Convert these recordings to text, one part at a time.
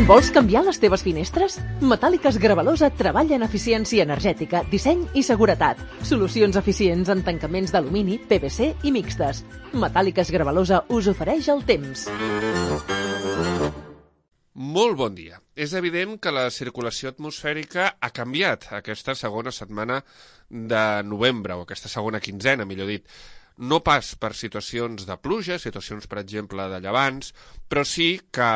Vols canviar les teves finestres? Metàl·liques Gravalosa treballa en eficiència energètica, disseny i seguretat. Solucions eficients en tancaments d'alumini, PVC i mixtes. Metàl·liques Gravalosa us ofereix el temps. Molt bon dia. És evident que la circulació atmosfèrica ha canviat aquesta segona setmana de novembre, o aquesta segona quinzena, millor dit. No pas per situacions de pluja, situacions, per exemple, de llevants, però sí que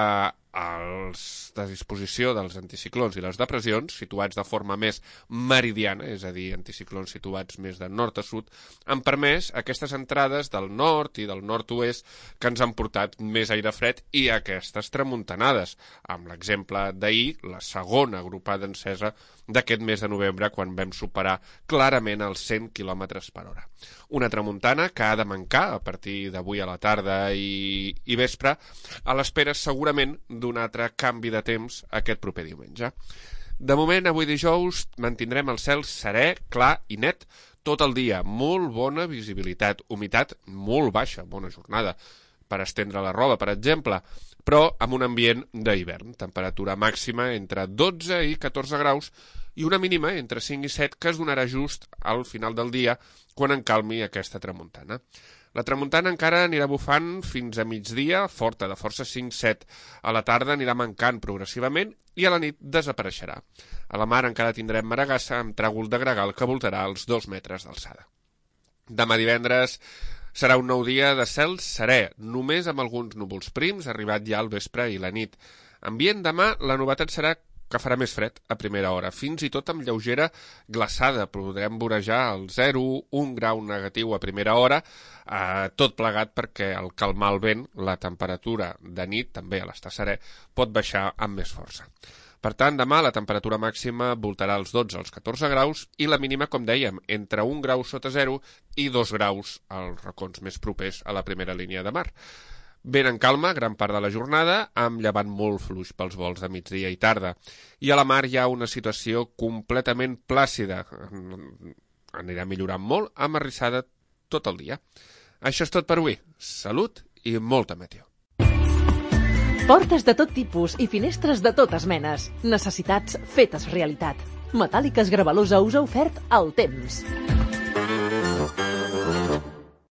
la disposició dels anticiclons i les depressions, situats de forma més meridiana, és a dir, anticiclons situats més de nord a sud, han permès aquestes entrades del nord i del nord-oest que ens han portat més aire fred i aquestes tramuntanades, amb l'exemple d'ahir, la segona agrupada encesa d'aquest mes de novembre, quan vam superar clarament els 100 km per hora. Una tramuntana que ha de mancar a partir d'avui a la tarda i vespre, a l'espera segurament d'un altre canvi de temps aquest proper diumenge. De moment, avui dijous, mantindrem el cel serè, clar i net tot el dia. Molt bona visibilitat, humitat molt baixa, bona jornada per estendre la roba, per exemple, però amb un ambient d'hivern. Temperatura màxima entre 12 i 14 graus i una mínima entre 5 i 7 que es donarà just al final del dia quan encalmi aquesta tramuntana. La tramuntana encara anirà bufant fins a migdia, forta, de força 5-7. A la tarda anirà mancant progressivament i a la nit desapareixerà. A la mar encara tindrem maragassa amb tràgol de gregal que voltarà els 2 metres d'alçada. Demà divendres serà un nou dia de cel serè, només amb alguns núvols prims, arribat ja al vespre i la nit. Ambient demà, la novetat serà que farà més fred a primera hora, fins i tot amb lleugera glaçada. Podrem vorejar el 0, 1 grau negatiu a primera hora, tot plegat perquè al calmar el vent, la temperatura de nit, també a l'estar serè, pot baixar amb més força. Per tant, demà la temperatura màxima voltarà als 12 als 14 graus i la mínima, com dèiem, entre 1 grau sota 0 i 2 graus als racons més propers a la primera línia de mar. Vent en calma gran part de la jornada, amb llevant molt fluix pels vols de migdia i tarda. I a la mar hi ha una situació completament plàcida. Anirà millorant molt, amb arrissada tot el dia. Això és tot per avui. Salut i molta meteo. Portes de tot tipus i finestres de totes menes. Necessitats fetes realitat. Metàl·liques Gravalosa us ha ofert el temps.